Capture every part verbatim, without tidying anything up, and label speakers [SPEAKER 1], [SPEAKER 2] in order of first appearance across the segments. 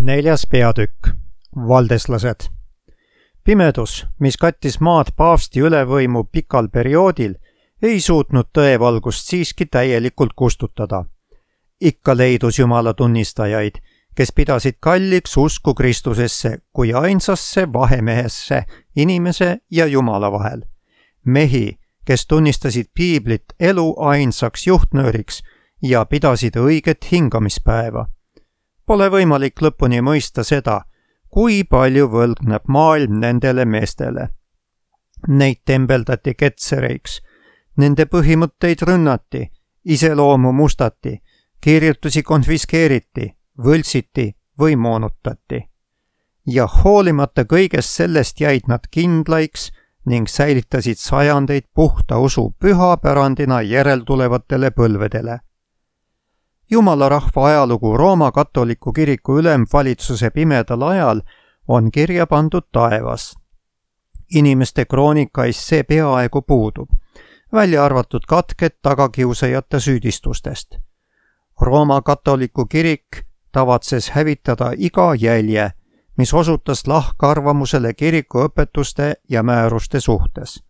[SPEAKER 1] Neljas peatükk. Valdeslased. Pimedus, mis kattis maad paavsti ülevõimu pikal perioodil, ei suutnud tõevalgust siiski täielikult kustutada. Ikka leidus Jumala tunnistajaid, kes pidasid kalliks usku Kristusesse kui ainsasse vahemehesse inimese ja Jumala vahel. Mehi, kes tunnistasid piiblit elu ainsaks juhtnööriks ja pidasid õiget hingamispäeva. Pole võimalik lõpuni mõista seda, kui palju võlgneb maailm nendele meestele. Neid tembeldati ketsereiks, nende põhimõtteid rünnati, iseloomu mustati, kirjutusi konfiskeeriti, võltsiti või moonutati. Ja hoolimata kõigest sellest jäid nad kindlaiks ning säilitasid sajandeid puhta usu pühapärandina järeltulevatele põlvedele. Jumala rahva ajalugu Rooma katoliku kiriku ülemvalitsuse pimedal ajal on kirja pandud taevas. Inimeste kroonikais see peaaegu puudub, välja arvatud katked tagakiusajate süüdistustest. Rooma katoliku kirik tavatses hävitada iga jälje, mis osutas lahkarvamusele kiriku õpetuste ja määruste suhtes.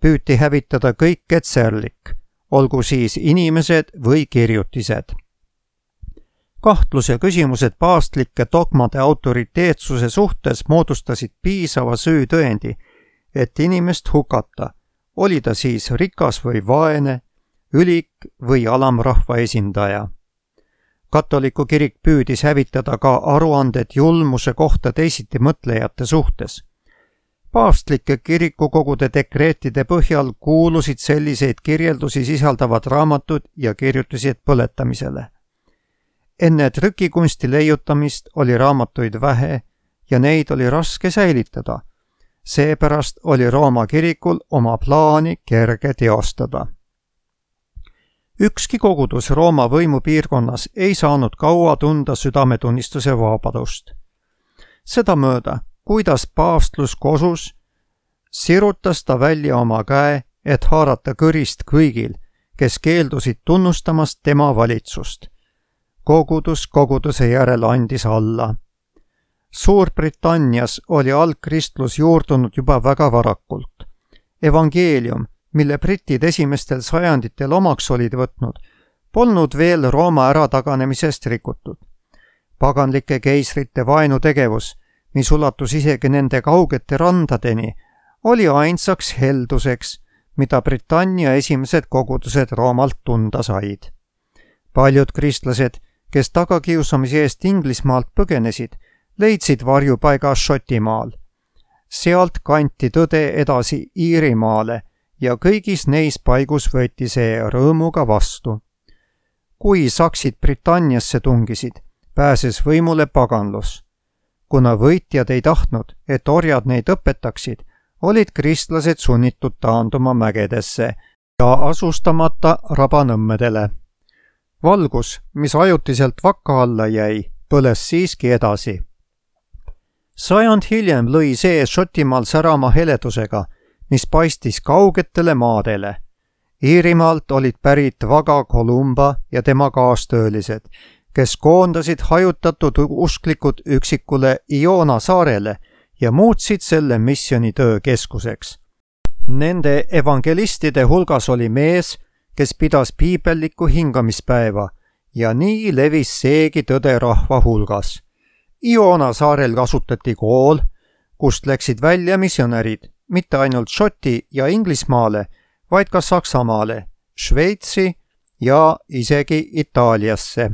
[SPEAKER 1] Püüti hävitada kõik ketserlik, olgu siis inimesed või kirjutised. Kahtlus ja küsimused paavstlike dogmade autoriteetsuse suhtes moodustasid piisava süütõendi, et inimest hukata, oli ta siis rikas või vaene, ülik või alamrahva esindaja. Katoliku kirik püüdis hävitada ka aruanded julmuse kohta teisiti mõtlejate suhtes. Paavstlike kirikukogude dekreetide põhjal kuulusid selliseid kirjeldusi sisaldavad raamatud ja kirjutised põletamisele. Enne trükikunsti leiutamist oli raamatuid vähe ja neid oli raske säilitada. Seepärast oli Rooma kirikul oma plaani kerge teostada. Ükski kogudus Rooma võimupiirkonnas ei saanud kaua tunda südametunnistuse vabadust. Sedamööda, kuidas paavstlus kosus, sirutas ta välja oma käe, et haarata kõrist kõigil, kes keeldusid tunnustamast tema valitsust. Kogudus koguduse järel andis alla. Suurbritannias oli algkristlus juurdunud juba väga varakult. Evangeelium, mille britid esimestel sajanditel omaks olid võtnud, polnud veel Rooma ärataganemisest rikutud. Paganlike keisrite vaenutegevus, mis ulatus isegi nende kaugete randadeni, oli ainsaks helduseks, mida Britannia esimesed kogudused Roomalt tunda said. Paljud kristlased, kes tagakiusamise eest Inglismaalt põgenesid, leidsid varjupaiga Šotimaal. Sealt kanti tõde edasi Iirimaale ja kõigis neis paigus võeti see rõõmuga vastu. Kui saksid Britanniasse tungisid, pääses võimule paganlus. Kuna võitjad ei tahtnud, et orjad neid õpetaksid, olid kristlased sunnitud taanduma mägedesse ja asustamata rabanõmmedele. Valgus, mis ajutiselt vakka alla jäi, põles siiski edasi. Sajand hiljem lõi see Šotimaal särama heledusega, mis paistis kaugetele maadele. Iirimaalt olid pärit Vaga Kolumba ja tema kaastöölised, kes koondasid hajutatud usklikud üksikule Iona saarele ja muutsid selle missionitöö keskuseks. Nende evangelistide hulgas oli mees, kes pidas piibellikku hingamispäeva ja nii levis seegi tõde rahva hulgas. Iona saarel kasutati kool, kust läksid välja missionärid, mitte ainult Šoti ja Inglismaale, vaid ka Saksamaale, Šveitsi ja isegi Itaaliasse.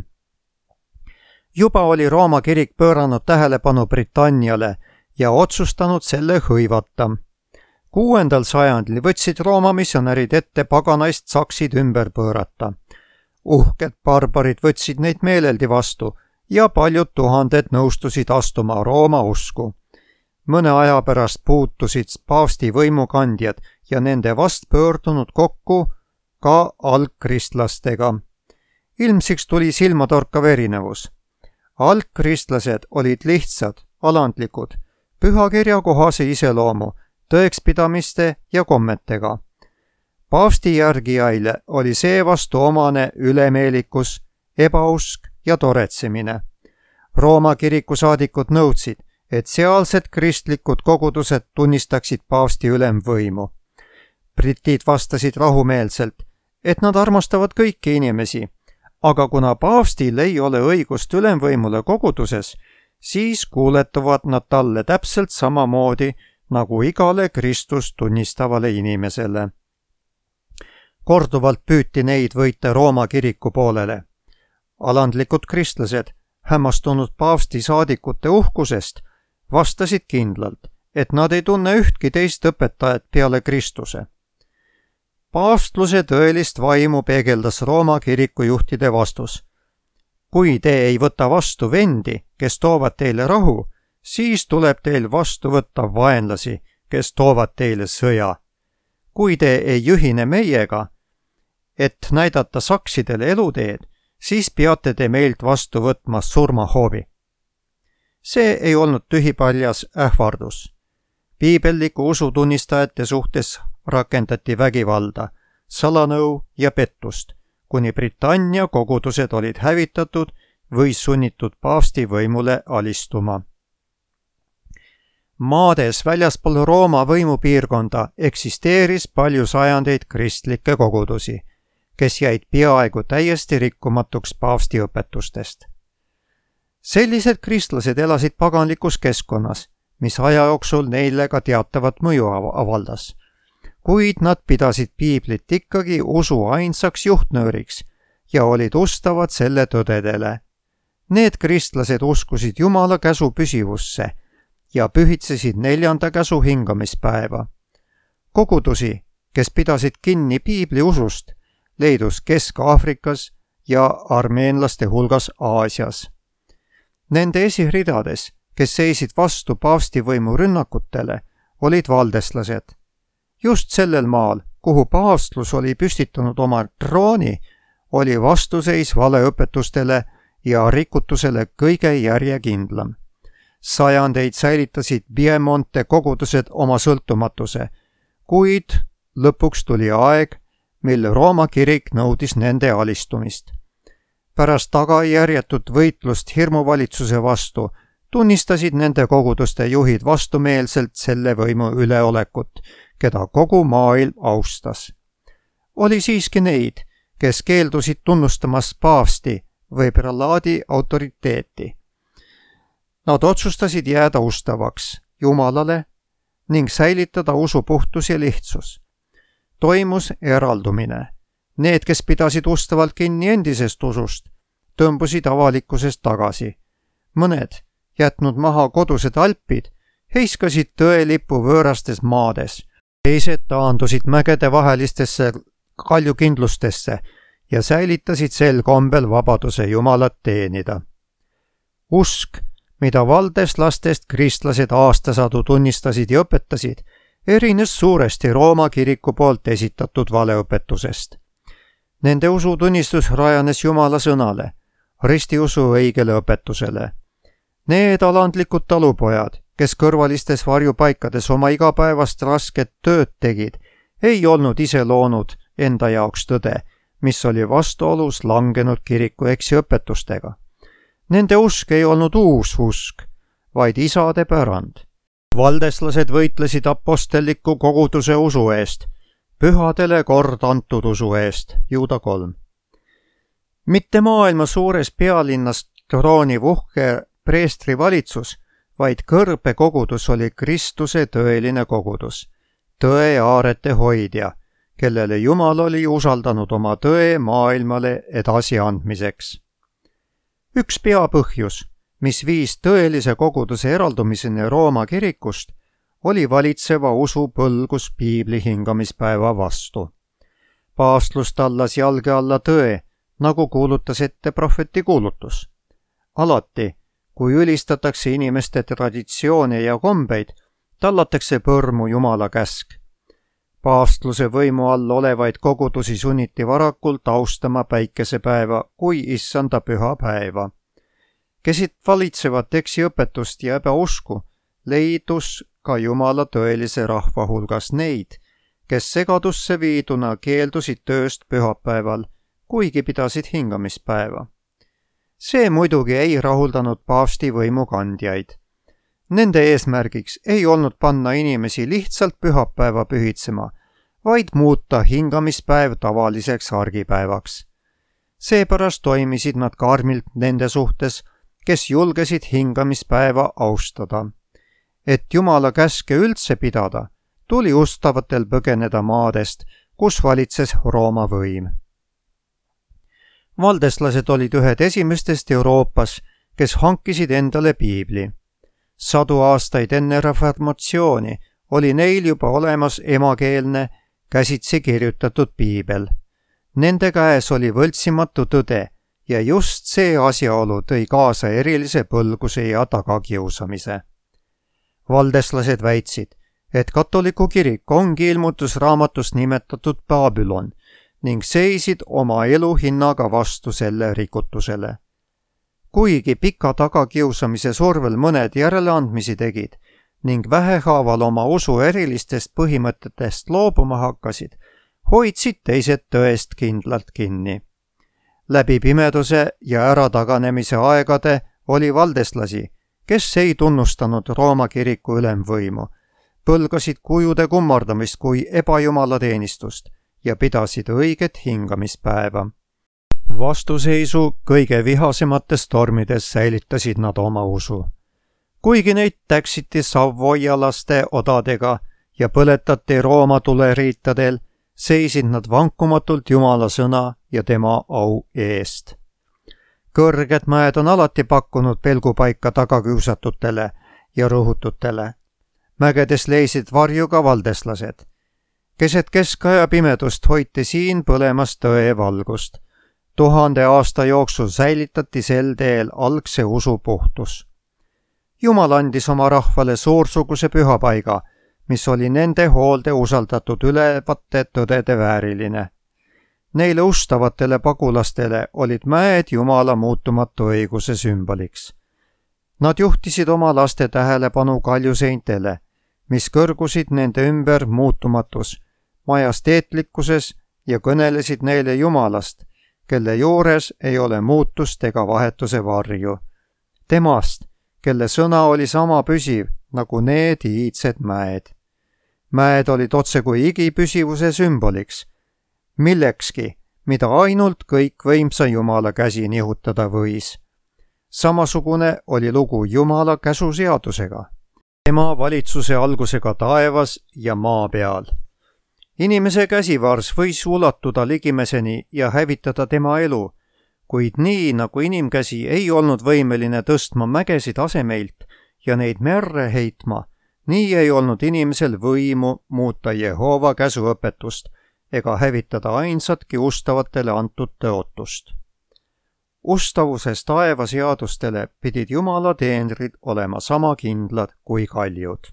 [SPEAKER 1] Juba oli Rooma kirik pööranud tähelepanu Britanniale ja otsustanud selle hõivata. Kuuendal sajandil võtsid Rooma missionärid ette paganaist saksid ümber pöörata. Uhked barbarid võtsid neid meeleldi vastu ja paljud tuhanded nõustusid astuma Rooma usku. Mõne aja pärast puutusid paavsti võimukandjad ja nende vast pöördunud kokku ka algkristlastega. Ilmsiks tuli silmatorkav erinevus. Algkristlased olid lihtsad, alandlikud, pühakirja kohase iseloomu, tõekspidamiste ja kommetega. Paavsti järgijaile oli seevastu omane ülemeelikus, ebausk ja toretsemine. Rooma kiriku saadikud nõudsid, et sealsed kristlikud kogudused tunnistaksid paavsti ülemvõimu. Britid vastasid rahumeelselt, et nad armastavad kõiki inimesi, aga kuna paavstil ei ole õigust ülemvõimule koguduses, siis kuuletuvad nad talle täpselt samamoodi nagu igale Kristust tunnistavale inimesele. Korduvalt püüti neid võita Rooma kiriku poolele. Alandlikud kristlased, hämmastunud paavsti saadikute uhkusest, vastasid kindlalt, et nad ei tunne ühtki teist õpetajat peale Kristuse. Paavstluse tõelist vaimu peegeldas Rooma kiriku juhtide vastus. Kui te ei võta vastu vendi, kes toovad teile rahu, siis tuleb teil vastu võtta vaenlasi, kes toovad teile sõja. Kui te ei ühine meiega, et näidata saksidele eluteed, siis peate te meilt vastu võtma surmahoovi. See ei olnud tühipaljas ähvardus. Piibelliku usutunnistajate suhtes rakendati vägivalda, salanõu ja pettust, kuni Britannia kogudused olid hävitatud või sunnitud paavsti võimule alistuma. Maades väljaspool Rooma võimupiirkonda eksisteeris palju sajandeid kristlikke kogudusi, kes jäid peaaegu täiesti rikkumatuks paavsti õpetustest. Sellised kristlased elasid paganlikus keskkonnas, mis aja jooksul neile ka teatavat mõju avaldas, kuid nad pidasid piiblit ikkagi usu ainsaks juhtnööriks ja olid ustavad selle tõdedele. Need kristlased uskusid Jumala käsu püsivusse ja pühitsesid neljanda käsu hingamispäeva. Kogudusi, kes pidasid kinni piibli usust, leidus Kesk-Aafrikas ja armeenlaste hulgas Aasias. Nende esiridades, kes seisid vastu paavstivõimu rünnakutele, olid valdeslased. Just sellel maal, kuhu paavstlus oli püstitanud oma trooni, oli vastuseis valeõpetustele ja rikutusele kõige järjekindlam. Sajandeid säilitasid Piemonte kogudused oma sõltumatuse, kuid lõpuks tuli aeg, mil Rooma kirik nõudis nende alistumist. Pärast tagajärjetut võitlust hirmuvalitsuse vastu tunnistasid nende koguduste juhid vastumeelselt selle võimu üleolekut, keda kogu maailm austas. Oli siiski neid, kes keeldusid tunnustamas paavsti või prelaadi autoriteeti. Nad otsustasid jääda ustavaks Jumalale ning säilitada usu puhtus ja lihtsus. Toimus eraldumine. Need, kes pidasid ustavalt kinni endisest usust, tõmbusid avalikkusest tagasi. Mõned, jätnud maha kodused alpid, heiskasid tõelipu võõrastes maades. Teised taandusid mägede vahelistesse kaljukindlustesse ja säilitasid sel kombel vabaduse Jumalat teenida. Usk, mida valdeslastest kristlased aastasadu tunnistasid ja õpetasid, erines suuresti Rooma kiriku poolt esitatud valeõpetusest. Nende usutunnistus rajanes Jumala sõnale, ristiusu õigele õpetusele. Need alandlikud talupojad, kes kõrvalistes varjupaikades oma igapäevast rasket tööd tegid, ei olnud ise loonud enda jaoks tõde, mis oli vastuolus langenud kiriku eksiõpetustega. Nende usk ei olnud uus usk, vaid isade pärand. Valdeslased võitlesid apostelliku koguduse usu eest, pühadele kord antud usu eest, Juuda kolm. Mitte maailma suures pealinnas trooniv uhke preestri valitsus, vaid kõrbe kogudus oli Kristuse tõeline kogudus, tõe aarete hoidja, kellele Jumal oli usaldanud oma tõe maailmale edasiandmiseks. Üks peapõhjus, mis viis tõelise koguduse eraldumiseni Rooma kirikust, oli valitseva usu põlgus piibli hingamispäeva vastu. Paavstlus tallas jalge alla tõe, nagu kuulutas ette prohveti kuulutus. Alati, kui ülistatakse inimeste traditsioone ja kombeid, tallatakse põrmu Jumala käsk. Paavstluse võimu all olevaid kogudusi sunniti varakult austama päikesepäeva kui issanda püha päeva. Kesid valitsevat eksiõpetust ja ebausku, leidus ka Jumala tõelise rahva hulgas neid, kes segadusse viiduna keeldusid tööst pühapäeval, kuigi pidasid hingamispäeva. See muidugi ei rahuldanud paavsti võimukandjaid. Nende eesmärgiks ei olnud panna inimesi lihtsalt pühapäeva pühitsema, vaid muuta hingamispäev tavaliseks argipäevaks. Seepärast toimisid nad karmilt nende suhtes, kes julgesid hingamispäeva austada. Et Jumala käske üldse pidada, tuli ustavatel põgeneda maadest, kus valitses Rooma võim. Valdeslased olid ühed esimestest Euroopas, kes hankisid endale piibli. Sadu aastaid enne reformatsiooni oli neil juba olemas emakeelne, käsitsi kirjutatud piibel. Nende käes oli võltsimatu tõde ja just see asjaolu tõi kaasa erilise põlguse ja tagakiusamise. Valdeslased väitsid, et katoliku kirik ongi ilmutusraamatus nimetatud Babylon ning seisid oma elu hinnaga vastu selle rikutusele. Kuigi pika tagakiusamise survel mõned järeleandmisi tegid ning vähehaaval oma usu erilistest põhimõtetest loobuma hakkasid, hoidsid teised tõest kindlalt kinni. Läbi pimeduse ja ärataganemise aegade oli valdeslasi, kes ei tunnustanud Rooma kiriku ülemvõimu, põlgasid kujude kummardamist kui ebajumalateenistust ja pidasid õiget hingamispäeva. Vastuseisu kõige vihasemates tormides säilitasid nad oma usu. Kuigi neid täksiti savoialaste odadega ja põletati Rooma tuleriitadel, seisid nad vankumatult Jumala sõna ja tema au eest. Kõrged mäed on alati pakkunud pelgupaika tagakiusatutele ja rõhututele. Mägedes leisid varju ka valdeslased. Keset keskaja pimedust hoiti siin põlemas tõe valgust. Tuhande aasta jooksul säilitati sel teel algse usu puhtus. Jumal andis oma rahvale suursuguse pühapaiga, mis oli nende hoolde usaldatud ülevate tõdede vääriline. Neile ustavatele pagulastele olid mäed Jumala muutumatu õiguse sümboliks. Nad juhtisid oma laste tähelepanu kaljuseintele, mis kõrgusid nende ümber muutumatus, majesteetlikkuses ja kõnelesid neile Jumalast, kelle juures ei ole muutust ega vahetuse varju. Temast, kelle sõna oli sama püsiv nagu need iidsed mäed. Mäed olid otse kui igipüsivuse sümboliks, millekski, mida ainult kõikvõimsa Jumala käsi nihutada võis. Samasugune oli lugu Jumala käsuseadusega, tema valitsuse algusega taevas ja maa peal. Inimese käsivars võis ulatuda ligimeseni ja hävitada tema elu, kuid nii nagu inimkäsi ei olnud võimeline tõstma mägesid asemeilt ja neid merre heitma, nii ei olnud inimesel võimu muuta Jehova käsuõpetust ega hävitada ainsatki ustavatele antud tõotust. Ustavuses taeva seadustele pidid Jumala teenrid olema sama kindlad kui kaljud.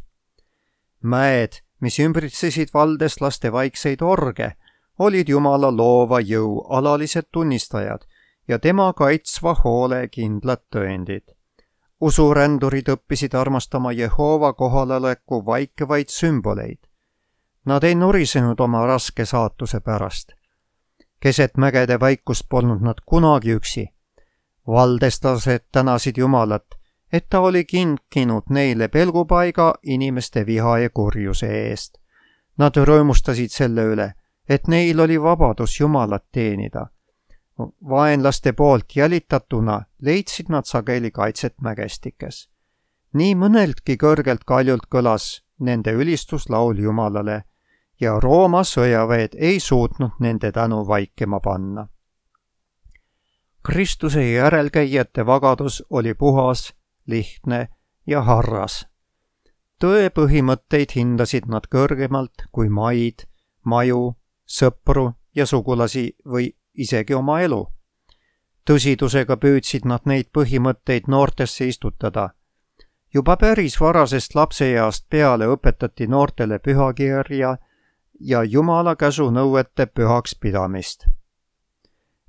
[SPEAKER 1] Mäed, mis ümbritsesid valdeslaste vaikseid orge, olid Jumala loova jõu alalised tunnistajad ja tema kaitsva hoole kindlad tõendid. Usurändurid õppisid armastama Jehova kohaloleku vaikevaid sümboleid. Nad ei nurisenud oma raske saatuse pärast. Keset mägede vaikust polnud nad kunagi üksi. Valdeslased tänasid Jumalat, et ta oli kinkinud neile pelgupaiga inimeste viha ja kurjuse eest. Nad rõõmustasid selle üle, et neil oli vabadus Jumalat teenida. Vaenlaste poolt jälitatuna leidsid nad sageli kaitset mägestikes. Nii mõneltki kõrgelt kaljult kõlas nende ülistuslaul Jumalale ja Rooma sõjaväed ei suutnud nende tänu vaikema panna. Kristuse järelkäijate vagadus oli puhas, lihtne ja harras. Tõe põhimõtteid hindasid nad kõrgemalt kui maid, maju, sõpru ja sugulasi või isegi oma elu. Tõsidusega püüdsid nad neid põhimõtteid noortesse istutada. Juba päris varasest lapseeast peale õpetati noortele pühakirja ja Jumala käsu nõuete pühaks pidamist.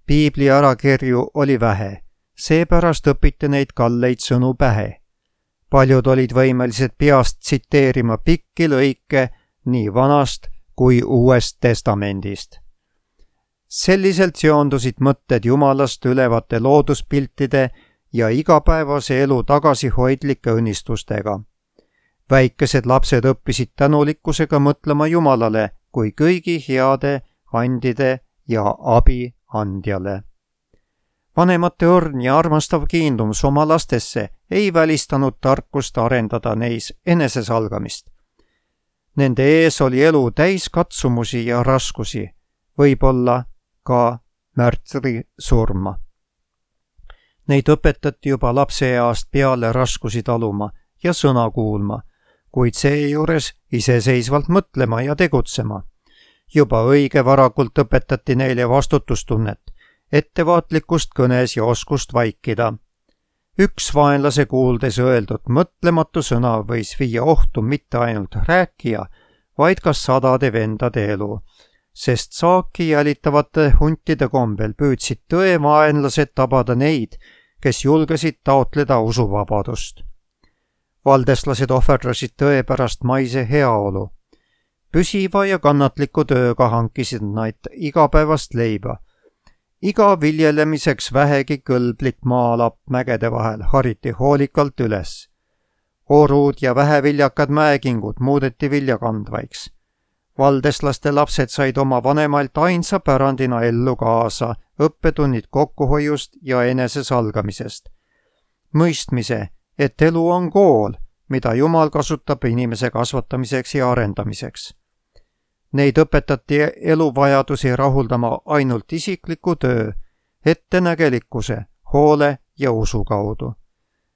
[SPEAKER 1] Piibli ärakirju oli vähe, seepärast õpiti neid kalleid sõnu pähe. Paljud olid võimelised peast tsiteerima pikki lõike nii vanast kui uuest testamendist. Selliselt seondusid mõtted Jumalast ülevate looduspiltide ja igapäevase elu tagasihoidlike õnnistustega. Väikesed lapsed õppisid tänulikkusega mõtlema Jumalale kui kõigi heade andide ja abi andjale. Vanemate õrn ja armastav kiindumus oma lastesse ei välistanud tarkust arendada neis enesesalgamist. Nende ees oli elu täis katsumusi ja raskusi, võib-olla ka märtri surma. Neid õpetati juba lapseeast peale raskusi taluma ja sõna kuulma, kuid seejuures iseseisvalt mõtlema ja tegutsema. Juba õige varakult õpetati neile vastutustunnet, ettevaatlikkust kõnes ja oskust vaikida. Üks vaenlase kuuldes öeldud mõtlematu sõna võis viia ohtu mitte ainult rääkija, vaid ka sadade vendade elu, sest saaki jälitavate huntide kombel püüdsid tõevaenlased tabada neid, kes julgesid taotleda usuvabadust. Valdeslased ohverdasid tõe pärast maise heaolu. Püsiva ja kannatliku tööga hankisid nad igapäevast leiba. Iga viljelemiseks vähegi kõlblik maalapp mägede vahel hariti hoolikalt üles. Orud ja väheviljakad mäekingud muudeti viljakandvaiks. Valdeslaste lapsed said oma vanemalt ainsa pärandina ellu kaasa õppetunnid kokkuhoiust ja enesesalgamisest. Mõistmise, et elu on kool, mida Jumal kasutab inimese kasvatamiseks ja arendamiseks. Neid õpetati eluvajadusi rahuldama ainult isikliku töö, ettenägelikkuse, hoole ja usu kaudu.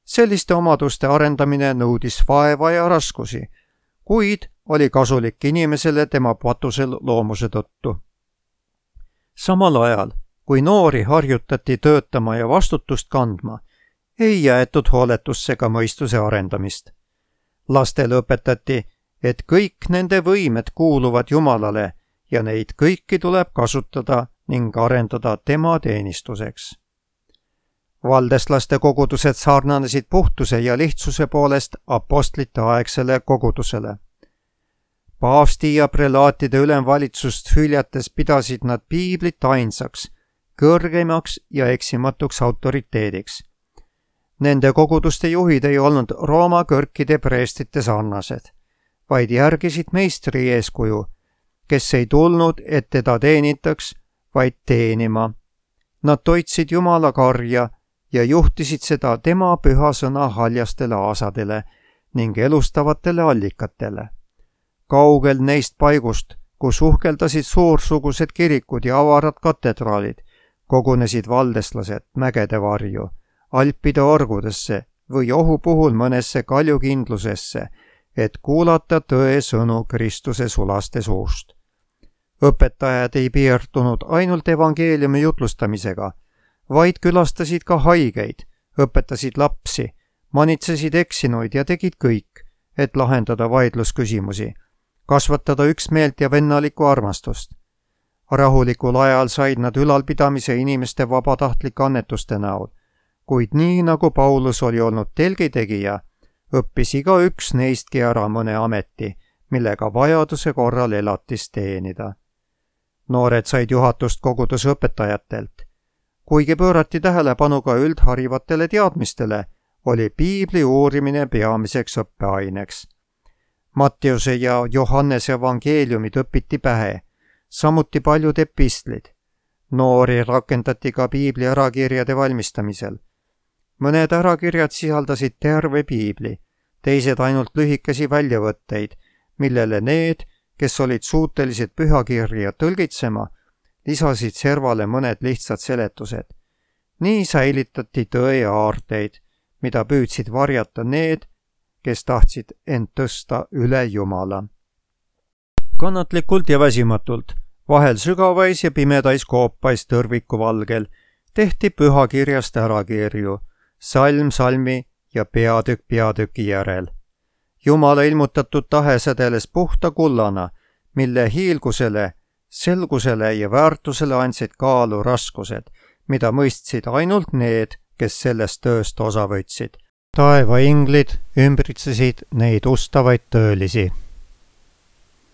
[SPEAKER 1] Selliste omaduste arendamine nõudis vaeva ja raskusi, kuid oli kasulik inimesele tema patusel loomuse tõttu. Samal ajal, kui noori harjutati töötama ja vastutust kandma, ei jäetud hooletusse ka mõistuse arendamist. Lastele õpetati, et kõik nende võimed kuuluvad Jumalale ja neid kõiki tuleb kasutada ning arendada tema teenistuseks. Valdeslaste kogudused sarnanesid puhtuse ja lihtsuse poolest apostlite aegsele kogudusele. Paavsti ja prelaatide ülemvalitsust hüljates pidasid nad piiblit ainsaks, kõrgeimaks ja eksimatuks autoriteediks. Nende koguduste juhid ei olnud Rooma kõrkide preestite sarnased, vaid järgisid meistri eeskuju, kes ei tulnud, et teda teenitaks, vaid teenima. Nad toitsid Jumala karja ja juhtisid seda tema püha sõna haljastele aasadele ning elustavatele allikatele. Kaugel neist paigust, kus uhkeldasid suursugused kirikud ja avarad katedraalid, kogunesid valdeslased mägede varju, alpide orgudesse või ohu puhul mõnesse kaljukindlusesse, et kuulata tõe sõnu Kristuse sulaste suust. Õpetajad ei piirdunud ainult evangeeliumi jutlustamisega, vaid külastasid ka haigeid, õpetasid lapsi, manitsesid eksinuid ja tegid kõik, et lahendada vaidlusküsimusi, kasvatada üksmeelt ja vennalikku armastust. Rahulikul ajal said nad ülalpidamise inimeste vabatahtlike annetuste näol, kuid nii nagu Paulus oli olnud telgitegija, õppis iga üks neistki ära mõne ameti, millega vajaduse korral elatist teenida. Noored said juhatust koguduse õpetajatelt. Kuigi pöörati tähelepanu ka üldharivatele teadmistele, oli piibli uurimine peamiseks õppeaineks. Mattiuse ja Johannese evangeeliumid õpiti pähe, samuti paljud epistlid. Noori rakendati ka piibli ärakirjade valmistamisel. Mõned ärakirjad sisaldasid terve piibli, teised ainult lühikesi väljavõtteid, millele need, kes olid suutelised pühakirja tõlgitsema, lisasid servale mõned lihtsad seletused. Nii säilitati tõe aarteid, mida püüdsid varjata need, kes tahtsid end tõsta üle Jumala. Kannatlikult ja väsimatult, vahel sügavais ja pimedais koopais tõrviku valgel, tehti pühakirjast ärakirju, salm salmi ja peatükk peatüki järel. Jumala ilmutatud tahe sädeles puhta kullana, mille hiilgusele, selgusele ja väärtusele andsid kaalu raskused, mida mõistsid ainult need, kes sellest tööst osa võtsid. Taeva inglid ümbritsesid neid ustavaid töölisi.